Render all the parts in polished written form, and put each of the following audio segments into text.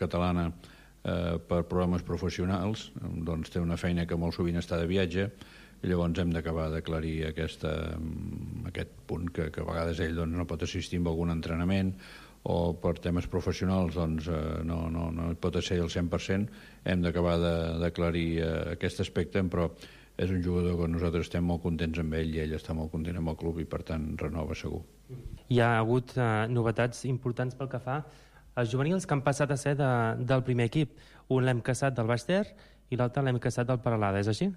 catalana per problemes professionals, doncs té una feina que molt sovint està de viatge, i llavors hem d'acabar d'aclarir aquest punt que a vegades ell doncs, no pot assistir a algun entrenament o per temes professionals doncs, no pot ser al 100%. Hem d'acabar d'aclarir aquest aspecte, però és un jugador que nosaltres estem molt contents amb ell i ell està molt content amb el club i per tant renova segur. Hi ha hagut novetats importants pel que fa als juvenils que han passat a ser del primer equip. Un l'hem caçat del Baix Ter i l'altre l'hem caçat del Peralada, és així?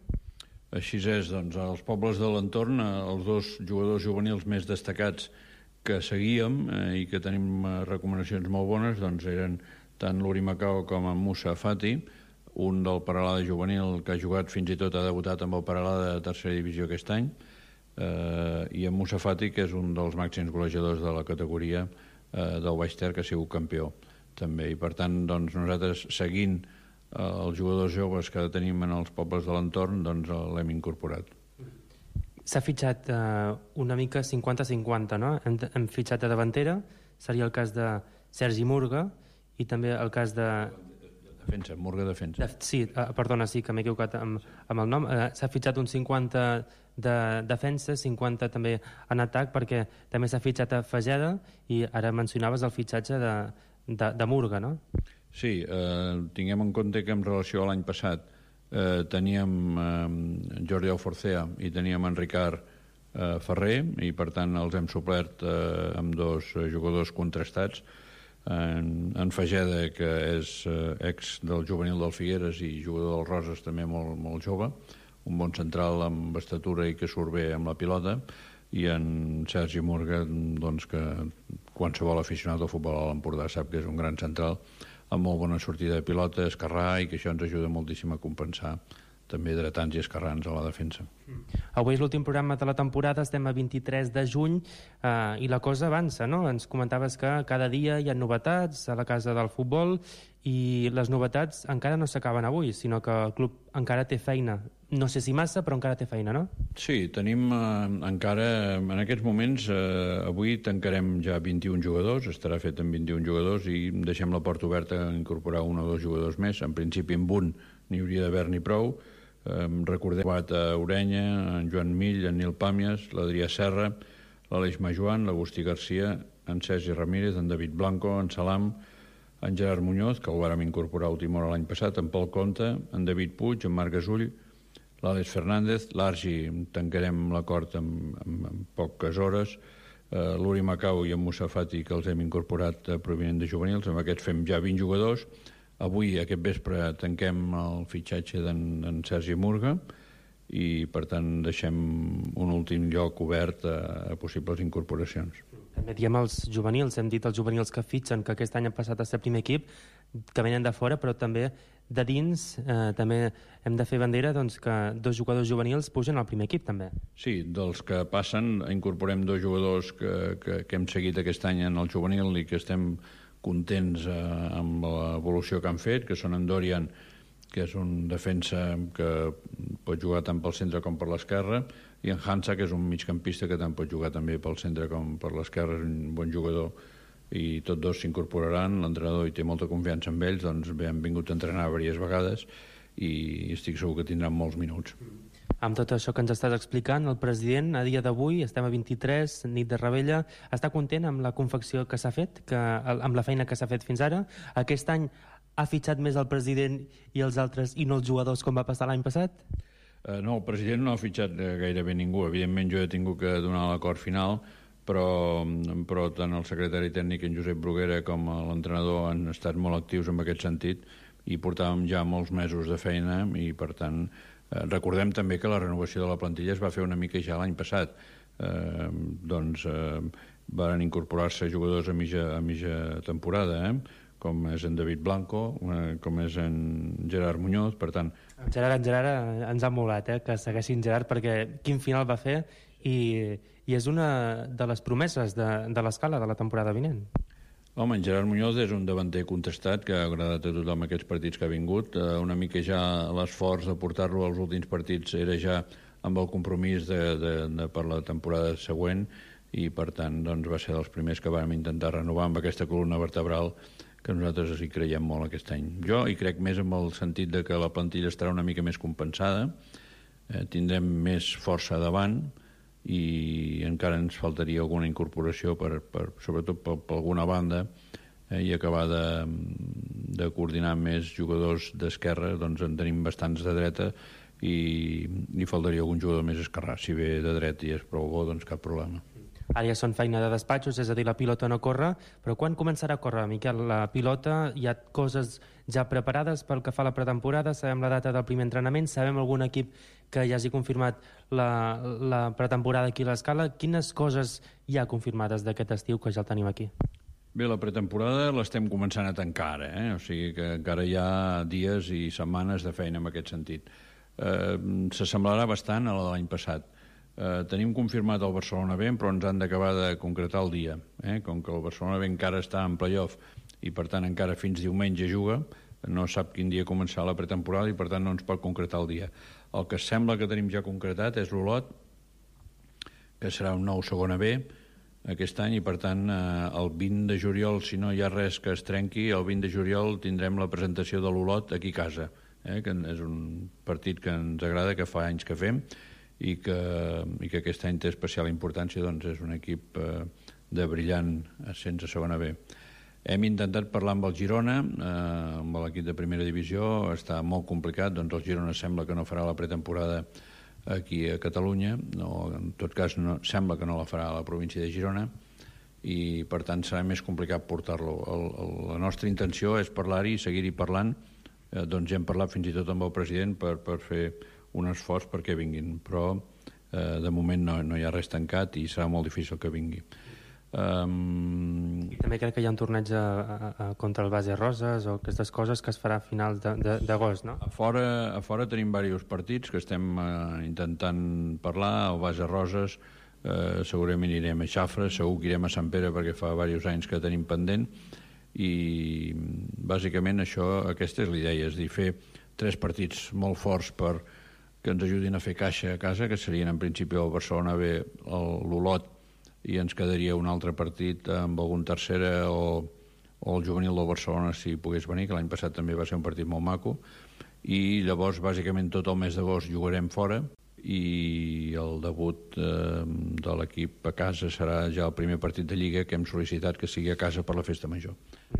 Així és, doncs, als pobles de l'entorn, els dos jugadors juvenils més destacats que seguíem i que tenim recomanacions molt bones, doncs eren tant l'Uri Macau com en Musa Fati, un del Peralada juvenil que ha jugat fins i tot, ha debutat amb el Peralada de tercera divisió aquest any, i en Musa Fati, que és un dels màxims golejadors de la categoria del Baix Ter, que ha sigut campió també, i per tant doncs, nosaltres seguint els jugadors joves que tenim en els pobles de l'entorn, doncs l'hem incorporat. S'ha fitxat una mica 50-50, no? Hem fitxat a davantera, seria el cas de Sergi Murga, i també el cas de... Defensa, Murga defensa. Sí, perdona, sí, que m'he equivocat amb el nom. S'ha fitxat un 50 de defensa, 50 també en atac, perquè també s'ha fitxat a Fageda, i ara mencionaves el fitxatge de Murga, no? Sí, tinguem en compte que en relació a l'any passat teníem Jordi Alforcea i teníem en Ricard Ferrer, i per tant els hem suplert amb dos jugadors contrastats, en Fageda, que és ex del juvenil del Figueres i jugador del Roses, també molt jove, un bon central amb estatura i que surt bé amb la pilota, i en Sergi Murga, doncs, que qualsevol aficionat al futbol a l'Empordà sap que és un gran central amb molt bona sortida de pilota, esquerrà, i que això ens ajuda moltíssim a compensar també dretans i esquerrans a la defensa. Avui és l'últim programa de la temporada, estem a 23 de juny i la cosa avança, no? Ens comentaves que cada dia hi ha novetats a la casa del futbol i les novetats encara no s'acaben avui, sinó que el club encara té feina. No sé si massa, però encara té feina, no? Sí, tenim encara, en aquests moments, avui tancarem ja 21 jugadors, estarà fet amb 21 jugadors i deixem la porta oberta a incorporar un o dos jugadors més. En principi amb un n'hi hauria d'haver-n'hi prou. Recordem a Orenya, en Joan Mill, en Nil Pàmies, l'Adrià Serra, l'Aleix Majoan, l'Agustí Garcia, en Sergi Ramírez, en David Blanco, en Salam, en Gerard Muñoz, que el vàrem incorporar a última hora l'any passat, en Pol Conte, en David Puig, en Marc Gasull, l'Àlex Fernández, l'Argi tancarem l'acord en poques hores, l'Uri Macau i en Musa Fati, que els hem incorporat provinent de juvenils, amb aquests fem ja 20 jugadors. Avui, aquest vespre, tanquem el fitxatge d'en Sergi Murga i, per tant, deixem un últim lloc obert a possibles incorporacions. També diem els juvenils, hem dit els juvenils que fitxen, que aquest any han passat a ser primer equip, que venen de fora, però també de dins també hem de fer bandera doncs, que dos jugadors juvenils pugen al primer equip, també. Sí, dels que passen incorporem dos jugadors que hem seguit aquest any en el juvenil i que estem contents amb l'evolució que han fet, que són en Dorian, que és un defensa que pot jugar tant pel centre com per l'esquerra, i en Hansa, que és un migcampista que tant pot jugar també pel centre com per l'esquerra, és un bon jugador, i tots dos s'incorporaran. L'entrenador hi té molta confiança en ells, doncs bé, han vingut a entrenar diverses vegades i estic segur que tindran molts minuts. Amb tot això que ens estàs explicant, el president, a dia d'avui, estem a 23, nit de Rebella, està content amb la confecció que s'ha fet, amb la feina que s'ha fet fins ara? Aquest any ha fitxat més el president i els altres i no els jugadors com va passar l'any passat? No, el president no ha fitxat gairebé ningú. Evidentment jo he tingut que donar l'acord final, però tant el secretari tècnic, en Josep Bruguera, com l'entrenador han estat molt actius en aquest sentit i portàvem ja molts mesos de feina i, per tant, recordem també que la renovació de la plantilla es va fer una mica ja l'any passat. Van incorporar-se jugadors a mitja temporada, com és en David Blanco, com és en Gerard Muñoz, per tant... En Gerard ens ha molat, que segueixin Gerard, perquè quin final va fer i és una de les promeses de l'escala de la temporada vinent. Home, en Gerard Muñoz és un davanter contestat que ha agradat a tothom aquests partits que ha vingut. Una mica ja l'esforç de portar-lo als últims partits era ja amb el compromís per la temporada següent i, per tant, doncs, va ser dels primers que vam intentar renovar amb aquesta columna vertebral que nosaltres hi creiem molt aquest any. Jo hi crec més en el sentit de que la plantilla estarà una mica més compensada, tindrem més força davant i encara ens faltaria alguna incorporació sobretot per alguna banda, i acabar de coordinar més jugadors d'esquerra. Doncs en tenim bastants de dreta i faltaria algun jugador més esquerrà. Si ve de dret i és prou bo, doncs cap problema. Ara ja són feina de despatxos, és a dir, la pilota no corre, però quan començarà a córrer, Miquel, la pilota? Hi ha coses ja preparades pel que fa a la pretemporada? Sabem la data del primer entrenament? Sabem algun equip que ja hagi confirmat la pretemporada aquí a l'Escala? Quines coses hi ha confirmades d'aquest estiu que ja el tenim aquí? Bé, la pretemporada l'estem començant a tancar ara, o sigui que encara hi ha dies i setmanes de feina en aquest sentit. S'assemblarà bastant a la de l'any passat. Tenim confirmat el Barcelona B, però ens han d'acabar de concretar el dia. Com que el Barcelona B encara està en playoff i per tant encara fins diumenge juga, no sap quin dia començarà la pretemporada i per tant no ens pot concretar el dia. El que sembla que tenim ja concretat és l'Olot, que serà un nou segona B aquest any, i per tant el 20 de juliol, si no hi ha res que es trenqui, el 20 de juliol tindrem la presentació de l'Olot aquí a casa, que és un partit que ens agrada, que fa anys que fem, i que aquest any té especial importància, doncs és un equip de brillant ascens a segona B. Hem intentat parlar amb el Girona, amb l'equip de primera divisió, està molt complicat, doncs el Girona sembla que no farà la pretemporada aquí a Catalunya, o en tot cas sembla que no la farà a la província de Girona, i per tant serà més complicat portar-lo. La nostra intenció és parlar-hi i seguir-hi parlant, doncs ja hem parlat fins i tot amb el president per fer un esforç perquè vinguin, però de moment no hi ha res tancat i serà molt difícil que vingui. I també crec que hi ha un torneig contra el Base Roses o aquestes coses que es farà a finals d'agost, no? A fora tenim diversos partits que estem intentant parlar. Al Base Roses segurament irem a Xafra, segur que irem a Sant Pere perquè fa diversos anys que tenim pendent, i bàsicament aquesta és la idea, és dir, fer 3 partits molt forts que ens ajudin a fer caixa a casa, que serien en principi el Barcelona B, l'Olot, i ens quedaria un altre partit amb algun tercera o el juvenil del Barcelona si pogués venir, que l'any passat també va ser un partit molt maco, i llavors bàsicament tot el mes d'agost jugarem fora i el debut de l'equip a casa serà ja el primer partit de Lliga que hem sol·licitat que sigui a casa per la festa major.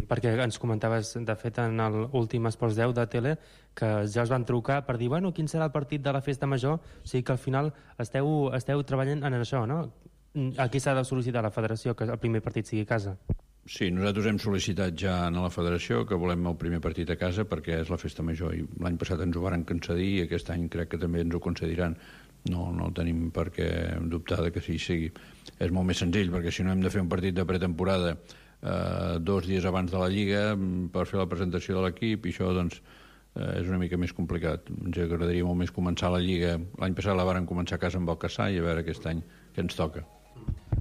Perquè ens comentaves, de fet, en l'últim Esports 10 de tele, que ja us van trucar per dir, bueno, quin serà el partit de la festa major? O sigui que al final esteu treballant en això, no? Aquí s'ha de sol·licitar a la federació que el primer partit sigui a casa. Sí, nosaltres hem sol·licitat ja a la federació que volem el primer partit a casa perquè és la festa major, i l'any passat ens ho varen concedir i aquest any crec que també ens ho concediran. No tenim per què dubtar de que sí sigui. És molt més senzill, perquè si no hem de fer un partit de pretemporada 2 dies abans de la Lliga per fer la presentació de l'equip, i això doncs és una mica més complicat. Ens agradaria molt més començar la Lliga. L'any passat la varen començar a casa amb el Cassà i a veure aquest any què ens toca.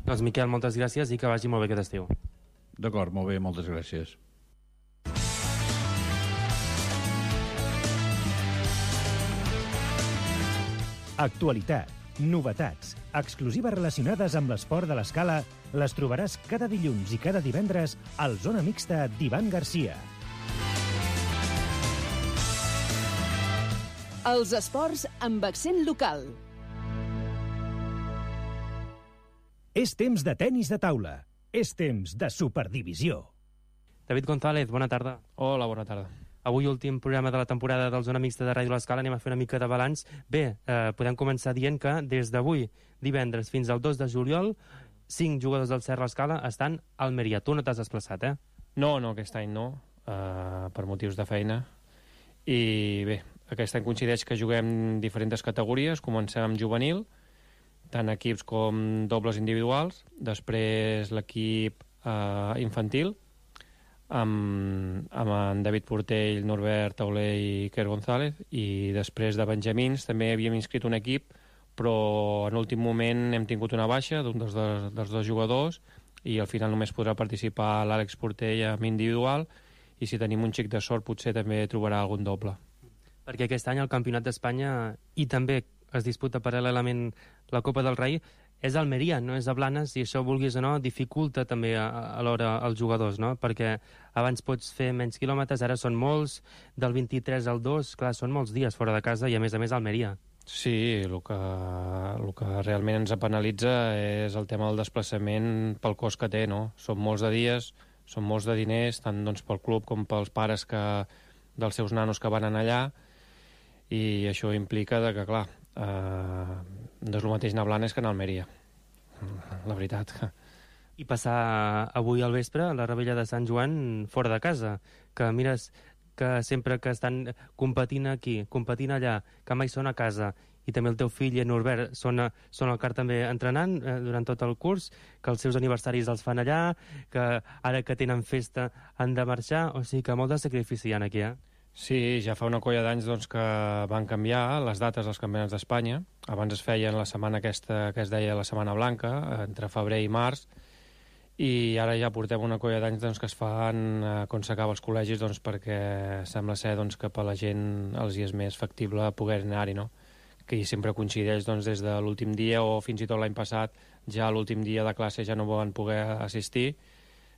Doncs Miquel, moltes gràcies i que vagi molt bé aquest estiu. D'acord, molt bé, moltes gràcies. Actualitat, novetats, exclusives relacionades amb l'esport de l'Escala les trobaràs cada dilluns i cada divendres al Zona Mixta d'Ivan Garcia. Els esports amb accent local. És temps de tenis de taula. És temps de Superdivisió. David González, bona tarda. Hola, bona tarda. Avui, últim programa de la temporada del Zona Mixta de Ràdio l'Escala, anem a fer una mica de balanç. Bé, podem començar dient que des d'avui, divendres, fins al 2 de juliol, 5 jugadors del Serra l'Escala estan a Almeria. Tu no t'has desplaçat, eh? No, aquest any no, per motius de feina. I bé, aquest any coincideix que juguem diferents categories. Comencem amb juvenil, tant equips com dobles individuals, després l'equip infantil, amb en David Portell, Norbert Tauler i Iker González, i després de benjamins també havíem inscrit un equip, però en últim moment hem tingut una baixa d'un dels 2 jugadors i al final només podrà participar l'Àlex Portell amb individual, i si tenim un xic de sort potser també trobarà algun doble. Perquè aquest any el Campionat d'Espanya i també es disputa paral·lelament la Copa del Rei, és Almeria, no és a Blanes, i això, vulguis o no, dificulta també alhora els jugadors, no? Perquè abans pots fer menys quilòmetres, ara són molts, del 23 al 2, clar, són molts dies fora de casa, i a més Almeria. Sí, el que realment ens penalitza és el tema del desplaçament pel cost que té, no? Són molts de dies, són molts de diners, tant doncs, pel club com pels pares dels seus nanos que van anar allà, i això implica que, clar, no és el mateix anar a Blanes que anar a Almeria, la veritat. I passar avui al vespre la Rebella de Sant Joan fora de casa, que mires que sempre que estan competint aquí, competint allà, que mai són a casa, i també el teu fill i en Norbert són al CAR també entrenant durant tot el curs, que els seus aniversaris els fan allà, que ara que tenen festa han de marxar, o sigui que molt de sacrifici hi ha aquí, Sí, ja fa una colla d'anys doncs, que van canviar les dates dels campionats d'Espanya. Abans es feien la setmana aquesta que es deia la Setmana Blanca, entre febrer i març, i ara ja portem una colla d'anys doncs, que es fan quan s'acaba els col·legis, doncs, perquè sembla ser doncs, que per la gent els hi és més factible poder anar-hi, no? Que sempre coincideix doncs, des de l'últim dia, o fins i tot l'any passat, ja l'últim dia de classe ja no van poder assistir,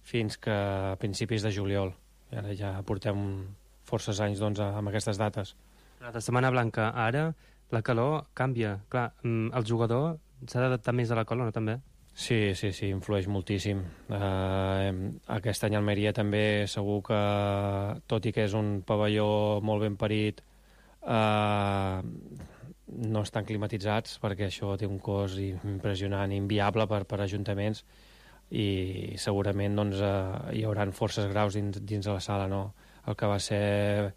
fins que a principis de juliol. I ara ja portem forces anys doncs, amb aquestes dates. La Setmana Blanca, ara, la calor canvia. Clar, el jugador s'ha d'adaptar més a la calor, no, també? Sí, influeix moltíssim. Aquest any a Almeria també segur que, tot i que és un pavelló molt ben parit, no estan climatitzats, perquè això té un cost impressionant, inviable per ajuntaments, i segurament doncs, hi haurà forces graus dins de la sala, no? El que va ser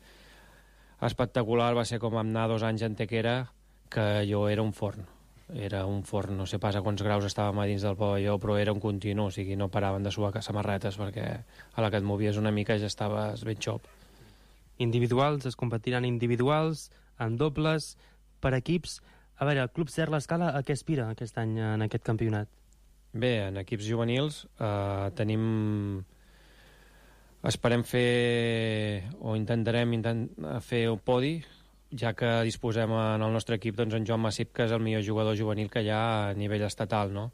espectacular va ser com anar 2 anys en Tequera, que allò era un forn. Era un forn, no sé pas a quants graus estàvem a dins del pavelló, però era un continu, o sigui, no paraven de suar samarretes, perquè a la que et movies una mica ja estaves ben xop. Individuals, es competiran individuals, en dobles, per equips. A veure, el Club Ser l'Escala a què aspira aquest any en aquest campionat? Bé, en equips juvenils esperem fer, o intentarem fer un podi, ja que disposem en el nostre equip doncs, en Joan Massip, que és el millor jugador juvenil que hi ha a nivell estatal, no?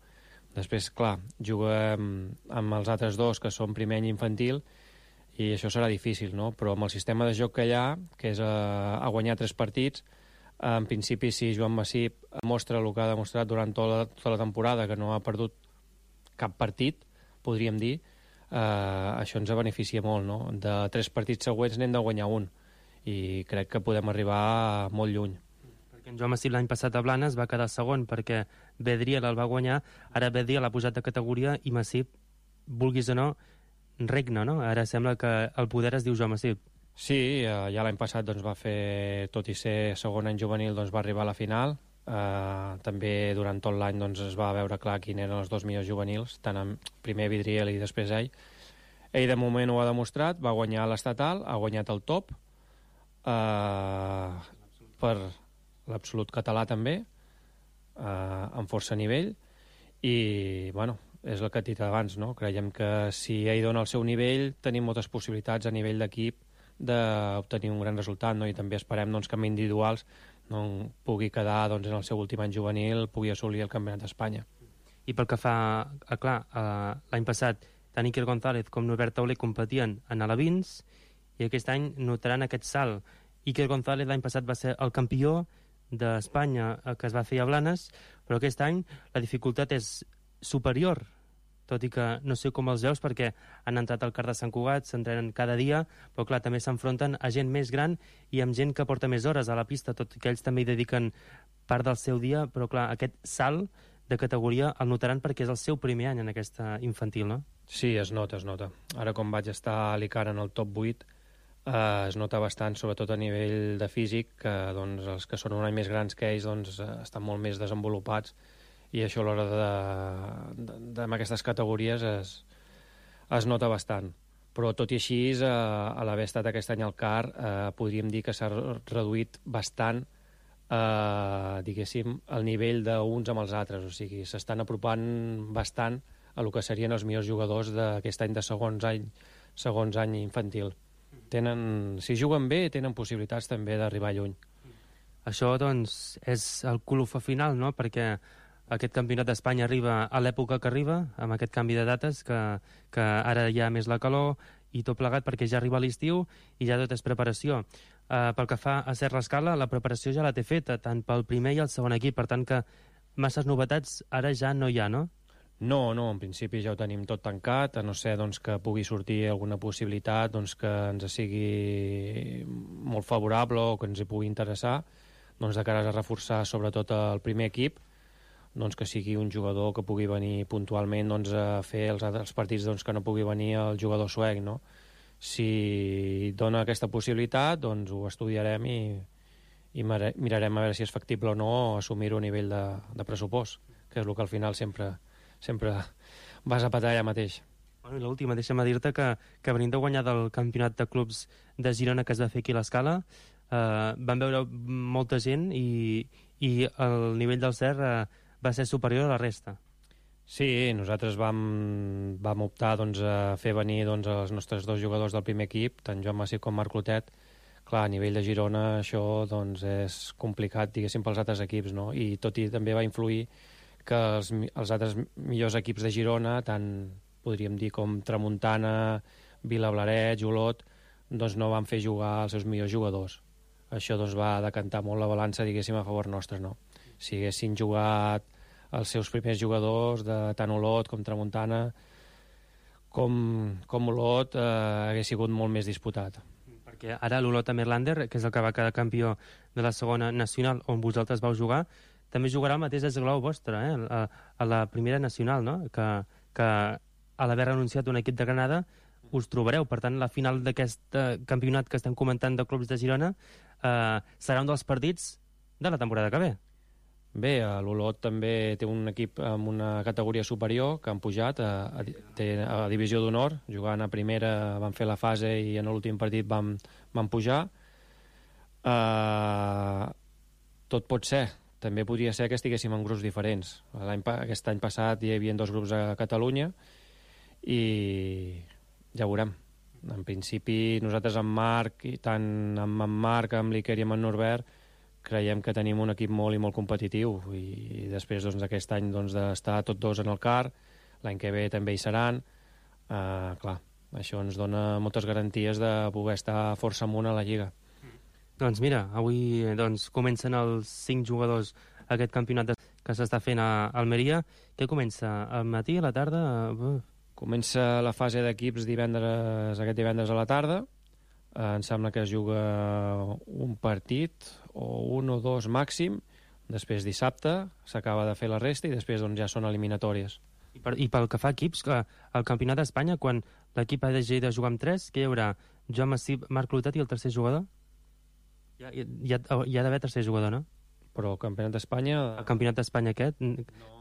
Després, clar, juguem amb els altres dos, que són primer any infantil, i això serà difícil, no? Però amb el sistema de joc que hi ha, que és a guanyar 3 partits, en principi, si Joan Massip mostra el que ha demostrat durant tota la temporada, que no ha perdut cap partit, podríem dir, això ens beneficia molt, no? De 3 partits següents n'hem de guanyar un, i crec que podem arribar molt lluny. Perquè en Joan Massip l'any passat a Blanes va quedar segon, perquè Bedriel el va guanyar, ara Bedriel l'ha posat de categoria, i Massip, vulguis o no, regna, no? Ara sembla que el poder es diu Joan Massip. Sí, ja l'any passat doncs, va fer, tot i ser segon any juvenil, doncs, va arribar a la final. També durant tot l'any doncs, es va veure clar quin eren els 2 millors juvenils, tant en primer Vidriel i després ell. Ell de moment ho ha demostrat, va guanyar l'estatal, ha guanyat el top, per l'absolut català també, amb força nivell, i bueno, és el que he dit abans, no? Creiem que si ell dona el seu nivell tenim moltes possibilitats a nivell d'equip d'obtenir un gran resultat, no? I també esperem doncs, que amb individuals no pugui quedar doncs, en el seu últim any juvenil, pugui assolir el Campionat d'Espanya. I pel que fa, clar, l'any passat tant Iker González com Norbert Tauler competien en alevins, i aquest any notaran aquest salt. Iker González l'any passat va ser el campió d'Espanya que es va fer a Blanes, però aquest any la dificultat és superior, tot i que no sé com els veus, perquè han entrat al CAR de Sant Cugat, s'entrenen cada dia, però clar, també s'enfronten a gent més gran i amb gent que porta més hores a la pista, tot i que ells també hi dediquen part del seu dia, però clar, aquest salt de categoria el notaran perquè és el seu primer any en aquesta infantil, no? Sí, es nota. Ara com vaig estar a l'ICAR en el top 8, es nota bastant, sobretot a nivell de físic, que doncs, els que són un any més grans que ells doncs, estan molt més desenvolupats, i això a l'hora amb aquestes categories es nota bastant. Però tot i així, a l'haver estat aquest any al CAR, podríem dir que s'ha reduït bastant, diguéssim, el nivell d'uns amb els altres. O sigui, s'estan apropant bastant a el que serien els millors jugadors d'aquest any de segons any infantil. Si juguen bé, tenen possibilitats també d'arribar lluny. Això, doncs, és el colofó final, no? Perquè aquest campionat d'Espanya arriba a l'època que arriba, amb aquest canvi de dates, que ara hi ha més la calor i tot plegat perquè ja arriba l'estiu i ja tot és preparació. Pel que fa a Ser l'Escala, la preparació ja la té feta, tant pel primer i el segon equip, per tant que masses novetats ara ja no hi ha, no? No, en principi ja ho tenim tot tancat, a no ser doncs, que pugui sortir alguna possibilitat doncs, que ens sigui molt favorable o que ens hi pugui interessar, doncs, de cara a reforçar sobretot el primer equip, doncs, que sigui un jugador que pugui venir puntualment doncs, a fer els partits doncs, que no pugui venir el jugador suec. No? Si dona aquesta possibilitat, doncs ho estudiarem i mirarem a veure si és factible o no assumir-ho a nivell de pressupost, que és el que al final sempre vas a patar allà mateix. Bueno, i l'última, deixa'm dir-te que venim de guanyar del campionat de clubs de Girona que es va fer aquí a l'Escala, van veure molta gent i el nivell del Ser va ser superior a la resta. Sí, nosaltres vam optar doncs, a fer venir doncs, els nostres dos jugadors del primer equip, tant Joan Massip com Marc Clotet. Clar, a nivell de Girona això doncs, és complicat, diguéssim, pels altres equips, no? I tot i també va influir que els altres millors equips de Girona, tant podríem dir com Tramuntana, Vilablaret, Olot, doncs no van fer jugar els seus millors jugadors. Això doncs, va decantar molt la balança, diguéssim, a favor nostre, no? Si haguessin jugat els seus primers jugadors de tant Olot com Tramuntana com Olot hagués sigut molt més disputat. Perquè ara l'Olot a Merlander, que és el que va quedar campió de la segona nacional on vosaltres vau jugar, també jugarà el mateix esglau vostre, a la primera nacional, no? Que a l'haver renunciat un equip de Granada us trobareu. Per tant, la final d'aquest campionat que estem comentant de clubs de Girona serà un dels partits de la temporada que ve. Bé, l'Olot també té un equip amb una categoria superior que han pujat a Divisió d'Honor, jugant a primera van fer la fase i en l'últim partit van pujar. Tot pot ser. També podria ser que estiguéssim en grups diferents. Aquest any passat hi havia 2 grups a Catalunya i ja veurem. En principi, nosaltres amb Marc, i tant amb en Marc, amb l'Iker i amb en Norbert, creiem que tenim un equip molt i molt competitiu i després doncs, aquest any doncs, d'estar tots dos en el CAR, l'any que ve també hi seran. Clar, això ens dona moltes garanties de poder estar força amunt a la Lliga. Doncs mira, avui comencen els 5 jugadors aquest campionat que s'està fent a Almeria. Què comença? Al matí, a la tarda? Comença la fase d'equips aquest divendres a la tarda. Em sembla que es juga un partit o 1 o 2 màxim. Després dissabte s'acaba de fer la resta i després doncs, ja són eliminatòries. I pel que fa a equips, al campionat d'Espanya, quan l'equip ha de jugar amb 3, què hi haurà? Joan Massip, Marc Clotet i el tercer jugador? Hi ha d'haver tercer jugador, no? Però el campionat d'Espanya... El campionat d'Espanya aquest? No,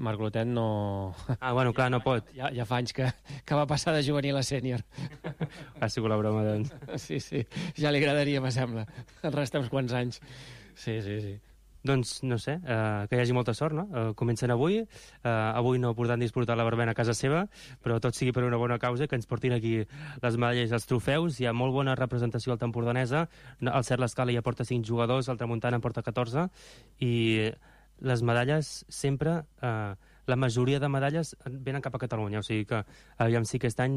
Marc Clotet no... Bueno, clar, no pot. Ja fa anys que va passar de juvenil a sènior. Ha sigut la broma, doncs. Sí, ja li agradaria, me sembla. El resta uns quants anys. Sí. Doncs, no sé, que hi hagi molta sort, no? Comencen avui. Avui no podran disfrutar la verbena a casa seva, però tot sigui per una bona causa, que ens portin aquí les medalles i els trofeus. Hi ha molt bona representació al tempordanesa. El Ser l'Escala ja porta 5 jugadors, el Tramuntana en porta 14, i les medalles sempre... la majoria de medalles venen cap a Catalunya, o sigui que aviam si aquest any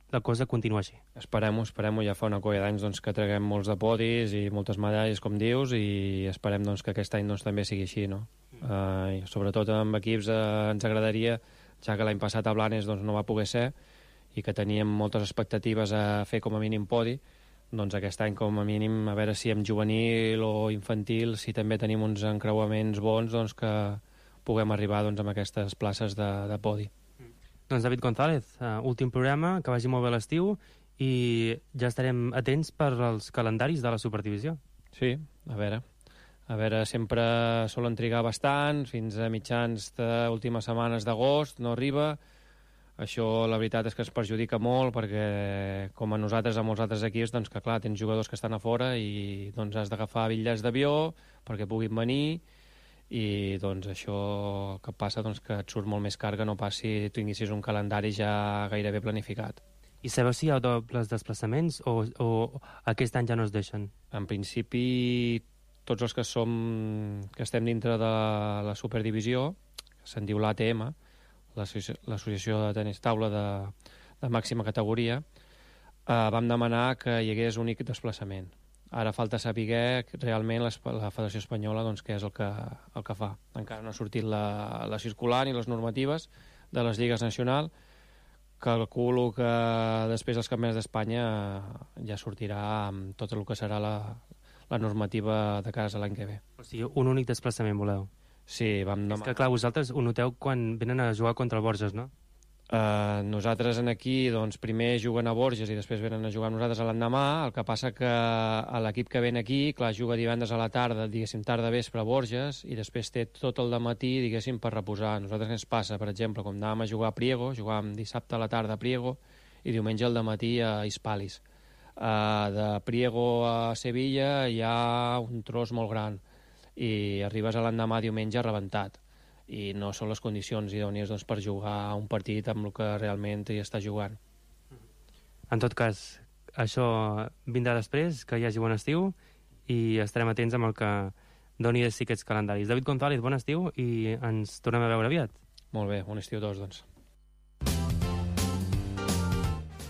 la cosa continua així. Esperem-ho, ja fa una colla d'anys doncs, que traguem molts de podis i moltes medalles, com dius, i esperem doncs, que aquest any doncs, també sigui així, no? Sobretot amb equips ens agradaria, ja que l'any passat a Blanes doncs, no va poder ser i que teníem moltes expectatives a fer com a mínim podi, doncs aquest any com a mínim a veure si amb juvenil o infantil si també tenim uns encreuaments bons doncs, que puguem arribar doncs, amb aquestes places de podi. Doncs David González, últim programa, que vagi molt bé l'estiu i ja estarem atents per als calendaris de la Superdivisió. Sí, a veure, sempre solen trigar bastant, fins a mitjans d'últimes setmanes d'agost no arriba. Això la veritat és que es perjudica molt perquè com a nosaltres, a molts altres equips, doncs que clar, tens jugadors que estan a fora i doncs has d'agafar bitllets d'avió perquè puguin venir i doncs això que passa doncs, que et surt molt més car que no pas si tu tinguessis un calendari ja gairebé planificat. I sabeu si hi ha dobles desplaçaments o aquest any ja no es deixen? En principi, tots els que estem dintre de la Superdivisió, se'n diu l'ATM, l'Associació de Tenis Taula de màxima categoria, vam demanar que hi hagués únic desplaçament. Ara falta saber realment la Federació Espanyola doncs, què és el que fa. Encara no ha sortit la circular ni les normatives de les lligues nacionals. Calculo que després dels campionats d'Espanya ja sortirà amb tot el que serà la normativa de casa l'any que ve. O sigui, un únic desplaçament voleu? Sí, vam demanar. És que, clar, vosaltres ho noteu quan venen a jugar contra el Borges, no? Nosaltres aquí doncs, primer juguen a Borges i després venen a jugar amb nosaltres a l'endemà. El que passa que l'equip que ven aquí, clar, juga divendres a la tarda, diguéssim, tarda vespre a Borges, i després té tot el dematí, diguéssim, per reposar. Nosaltres què ens passa? Per exemple, com anàvem a jugar a Priego, jugàvem dissabte a la tarda a Priego i diumenge al dematí a Hispalis. De Priego a Sevilla hi ha un tros molt gran i arribes a l'endemà diumenge rebentat, i no són les condicions idònies doncs, per jugar un partit amb el que realment hi està jugant. En tot cas, això vindrà després, que hi hagi bon estiu, i estarem atents amb el que doni de sí aquests calendaris. David González, bon estiu, i ens tornem a veure aviat. Molt bé, bon estiu a tots, doncs.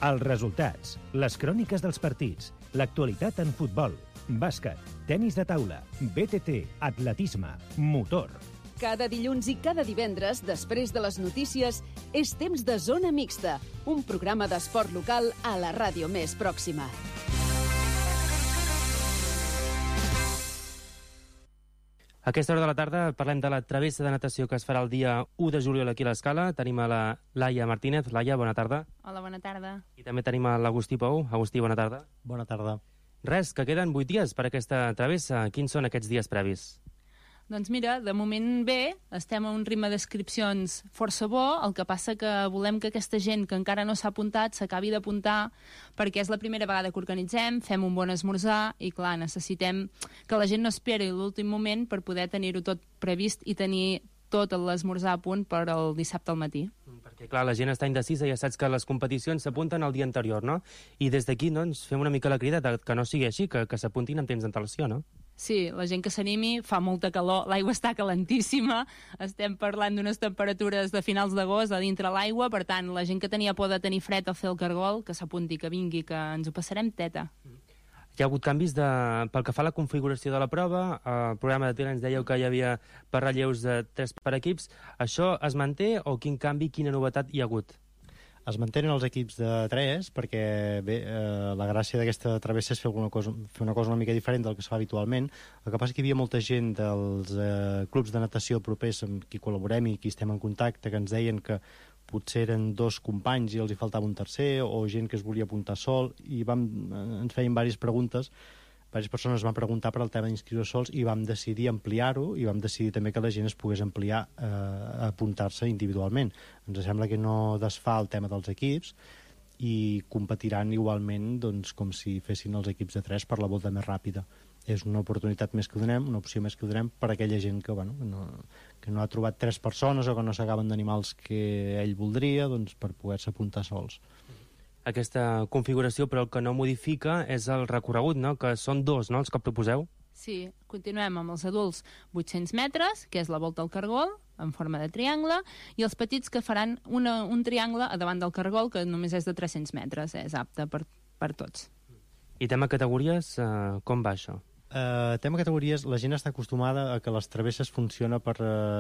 Els resultats, les cròniques dels partits, l'actualitat en futbol, bàsquet, tenis de taula, BTT, atletisme, motor. Cada dilluns i cada divendres, després de les notícies, és temps de Zona Mixta, un programa d'esport local a la ràdio més pròxima. A aquesta hora de la tarda parlem de la travessa de natació que es farà el dia 1 de juliol aquí a l'Escala. Tenim a la Laia Martínez. Laia, bona tarda. Hola, bona tarda. I també tenim a l'Agustí Pou. Agustí, bona tarda. Bona tarda. Res, que queden 8 dies per aquesta travessa. Quins són aquests dies previs? Doncs mira, de moment bé, estem a un ritme d'inscripcions força bo, el que passa que volem que aquesta gent que encara no s'ha apuntat s'acabi d'apuntar, perquè és la primera vegada que organitzem, fem un bon esmorzar i clar, necessitem que la gent no esperi l'últim moment per poder tenir-ho tot previst i tenir tot l'esmorzar a punt per al dissabte al matí. Perquè, clar, la gent està indecisa, ja saps que les competicions s'apunten el dia anterior, no? I des d'aquí, doncs, fem una mica la crida de que no sigui així, que s'apuntin amb temps d'antelació, no? Sí, la gent que s'animi, fa molta calor, l'aigua està calentíssima, estem parlant d'unes temperatures de finals d'agost a dintre l'aigua, per tant, la gent que tenia por de tenir fred o fer el cargol, que s'apunti, que vingui, que ens ho passarem teta. Hi ha hagut canvis pel que fa a la configuració de la prova. El programa de tele ens dèieu que hi havia per relleus de 3 per equips. Això es manté o quin canvi, quina novetat hi ha hagut? Es mantenen els equips de 3 perquè bé, la gràcia d'aquesta travessa és fer una cosa una mica diferent del que es fa habitualment. El que passa és que hi havia molta gent dels clubs de natació propers amb qui col·laborem i qui estem en contacte que ens deien que potser eren 2 companys i els hi faltava un tercer, o gent que es volia apuntar sol, i ens feien diverses preguntes. Diverses persones van preguntar per al tema d'inscriure sols i vam decidir ampliar-ho i vam decidir també que la gent es pogués ampliar a apuntar-se individualment. Ens sembla que no desfà el tema dels equips i competiran igualment doncs, com si fessin els equips de 3 per la volta més ràpida. És una oportunitat més que donem, una opció més que donem per a aquella gent que, bueno, que no ha trobat 3 persones o que no s'acaben d'animar els que ell voldria, doncs, per poder-se apuntar sols. Aquesta configuració, però el que no modifica és el recorregut, no? Que són 2, no?, els que proposeu. Sí, continuem amb els adults 800 metres, que és la volta al cargol, en forma de triangle, i els petits que faran un triangle a davant del cargol, que només és de 300 metres, és apte per tots. I tema categories, com va això? Tema categories, la gent està acostumada a que les travesses funciona per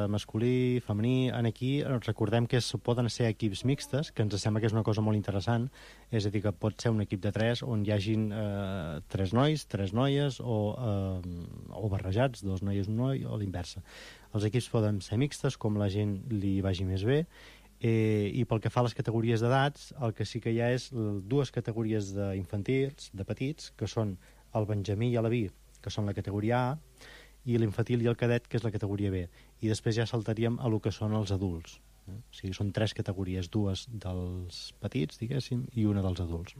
masculí, femení. Aquí recordem que poden ser equips mixtes, que ens sembla que és una cosa molt interessant, és a dir, que pot ser un equip de 3 on hi hagin 3 nois, 3 noies o barrejats, 2 noies, 1 noi, o l'inversa. Els equips poden ser mixtes, com la gent li vagi més bé, i pel que fa a les categories d'edats, el que sí que hi ha és 2 categories d'infantils, de petits, que són el benjamí i l'Aví, que són la categoria A, i l'infantil i el cadet, que és la categoria B. I després ja saltaríem a lo que són els adults. O sigui, són 3 categories, 2 dels petits, diguéssim, i una dels adults.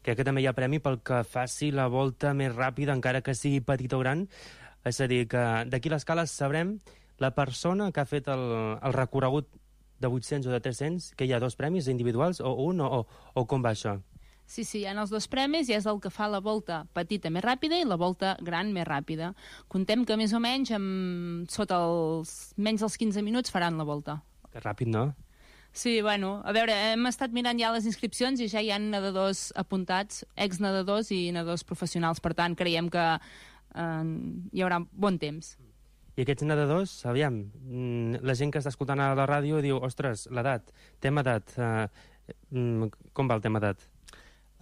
Crec que també hi ha premi pel que faci la volta més ràpida, encara que sigui petit o gran. És a dir, que d'aquí a l'Escala sabrem la persona que ha fet el recorregut de 800 o de 300, que hi ha 2 premis individuals, o un, o com va això? Sí, hi ha els dos premis i és el que fa la volta petita més ràpida i la volta gran més ràpida. Contem que més o menys sota menys dels 15 minuts faran la volta. Que ràpid, no? Sí, bueno, a veure, hem estat mirant ja les inscripcions i ja hi ha nedadors apuntats, exnedadors i nedadors professionals, per tant creiem que hi haurà bon temps. I aquests nedadors, aviam, la gent que està escoltant a la ràdio diu, ostres, l'edat, tema edat, com va el tema edat?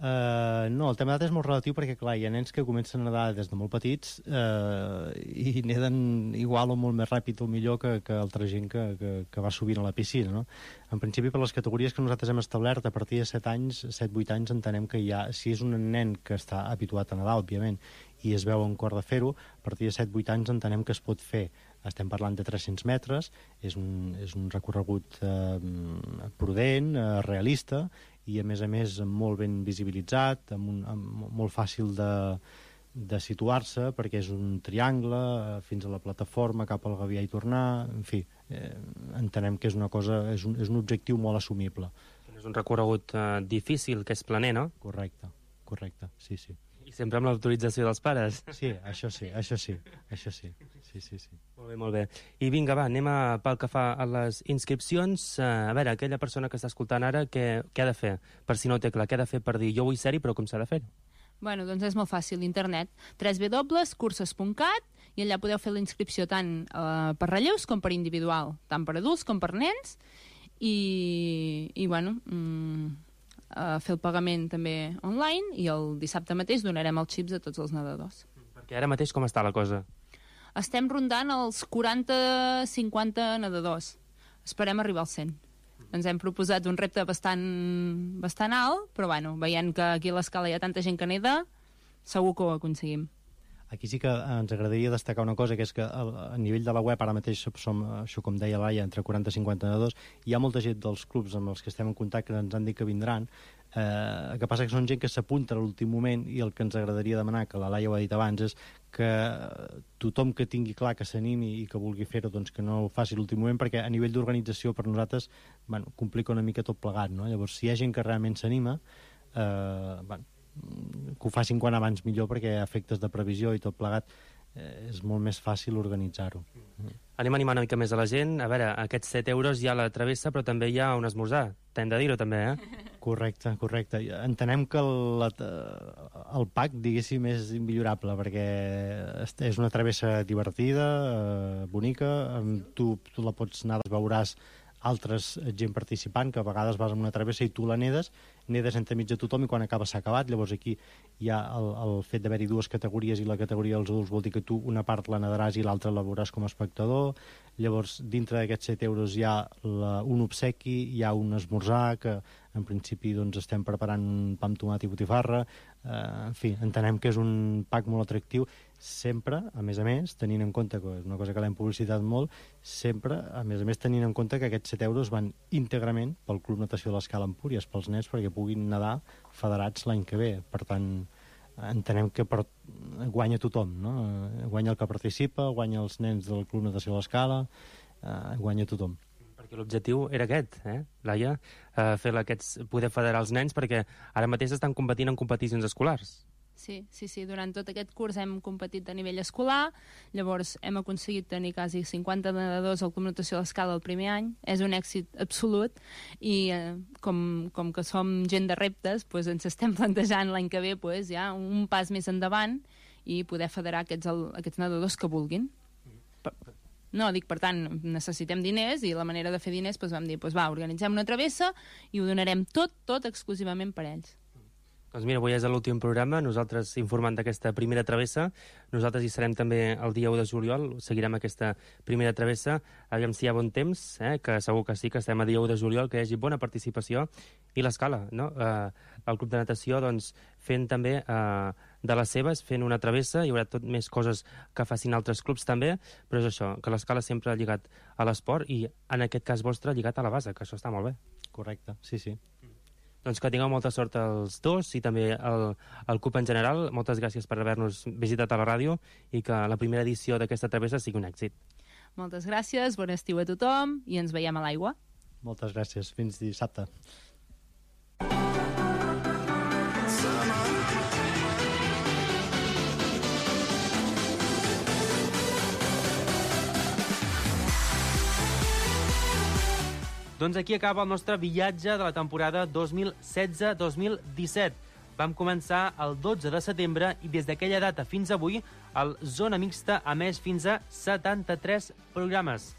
No, el tema d'edat és molt relatiu perquè, clar, hi ha nens que comencen a nedar des de molt petits i neden igual o molt més ràpid o millor que altra gent que va sovint a la piscina, no? En principi, per les categories que nosaltres hem establert, a partir de 7-8 anys, entenem que ja, si és un nen que està habituat a nedar, òbviament, i es veu en cor de fer-ho, a partir de 7-8 anys entenem que es pot fer. Estem parlant de 300 metres, és un recorregut prudent, realista, i a més molt ben visibilitzat, molt fàcil de situar-se, perquè és un triangle fins a la plataforma, cap al Gavià i tornar, en fi, entenem que és una cosa, és un objectiu molt assumible. És un recorregut difícil, que és planer, no? Correcte, sí. I sempre amb l'autorització dels pares. Sí, això sí. Sí. Molt bé. I vinga, va, anem pel que fa a les inscripcions. A veure, aquella persona que està escoltant ara, què ha de fer? Per si no ho té clar, què ha de fer per dir jo vull ser-hi, però com s'ha de fer? Bueno, doncs és molt fàcil, internet. www.curses.cat i allà podeu fer la inscripció tant per relleus com per individual, tant per adults com per nens. I bueno, fer el pagament també online i el dissabte mateix donarem els xips a tots els nedadors. Perquè ara mateix com està la cosa? Estem rondant els 40-50 nedadors. Esperem arribar als 100. Ens hem proposat un repte bastant alt, però bueno, veient que aquí a l'escala hi ha tanta gent que neda, segur que ho aconseguim. Aquí sí que ens agradaria destacar una cosa, que és que a nivell de la web ara mateix som, això com deia Laia, entre 40 i 50 nedadors. Hi ha molta gent dels clubs amb els que estem en contacte que ens han dit que vindran. El que passa que són gent que s'apunta a l'últim moment i el que ens agradaria demanar, que la Laia ho ha dit abans, és que tothom que tingui clar que s'animi i que vulgui fer-ho, doncs que no ho faci a l'últim moment, perquè a nivell d'organització per nosaltres complica una mica tot plegat, no? Llavors, si hi ha gent que realment s'anima, que ho facin quan abans millor, perquè a efectes de previsió i tot plegat és molt més fàcil organitzar-ho. Anem a animar una mica més a la gent. A veure, aquests 7 euros hi ha la travessa, però també hi ha un esmorzar. T'hem de dir-ho també, Correcte. Entenem que el pack, diguéssim, és immillorable, perquè és una travessa divertida, bonica, tu la pots anar, veuràs altres gent participant, que a vegades vas amb una travessa i tu la nedes entremig de tothom i quan acaba s'ha acabat. Llavors aquí hi ha el fet d'haver-hi dues categories i la categoria dels adults vol dir que tu una part la nedaràs i l'altra la veuràs com a espectador. Llavors dintre d'aquests 7 euros hi ha un obsequi, hi ha un esmorzar que en principi doncs, estem preparant un pa amb tomat i botifarra. En fi, entenem que és un pack molt atractiu, sempre, a més, tenint en compte, que és una cosa que l'hem publicitat molt, sempre, a més, tenint en compte que aquests 7 euros van íntegrament pel Club Natació de l'Escala Empúries, pels nens, perquè puguin nedar federats l'any que ve. Per tant, entenem que guanya tothom, no? Guanya el que participa, guanya els nens del Club Natació de l'Escala, guanya tothom. Perquè l'objectiu era aquest, Laia, poder federar els nens, perquè ara mateix estan competint en competicions escolars. Sí, durant tot aquest curs hem competit a nivell escolar, llavors hem aconseguit tenir quasi 50 nedadors al Club Natació de l'Escala el primer any. És un èxit absolut i com que som gent de reptes, doncs ens estem plantejant l'any que ve ja un pas més endavant i poder federar aquests nedadors que vulguin. No, per tant, necessitem diners i la manera de fer diners vam dir, organitzem una travessa i ho donarem tot exclusivament per ells. Doncs mira, avui és l'últim programa, nosaltres informant d'aquesta primera travessa, nosaltres hi serem també el dia 1 de juliol, seguirem aquesta primera travessa, aviam si hi ha bon temps, que segur que sí, que estem a dia 1 de juliol, que hi hagi bona participació, i l'escala, no? El club de natació, doncs, fent també de les seves, fent una travessa, hi haurà tot més coses que facin altres clubs també, però és això, que l'escala sempre ha lligat a l'esport i en aquest cas vostre lligat a la base, que això està molt bé. Correcte, sí. Doncs que tingueu molta sort els dos i també el CUP en general. Moltes gràcies per haver-nos visitat a la ràdio i que la primera edició d'aquesta travessa sigui un èxit. Moltes gràcies, bon estiu a tothom i ens veiem a l'aigua. Moltes gràcies, fins dissabte. Doncs aquí acaba el nostre viatge de la temporada 2016-2017. Vam començar el 12 de setembre i des d'aquella data fins avui el Zona Mixta ha emès fins a 73 programes.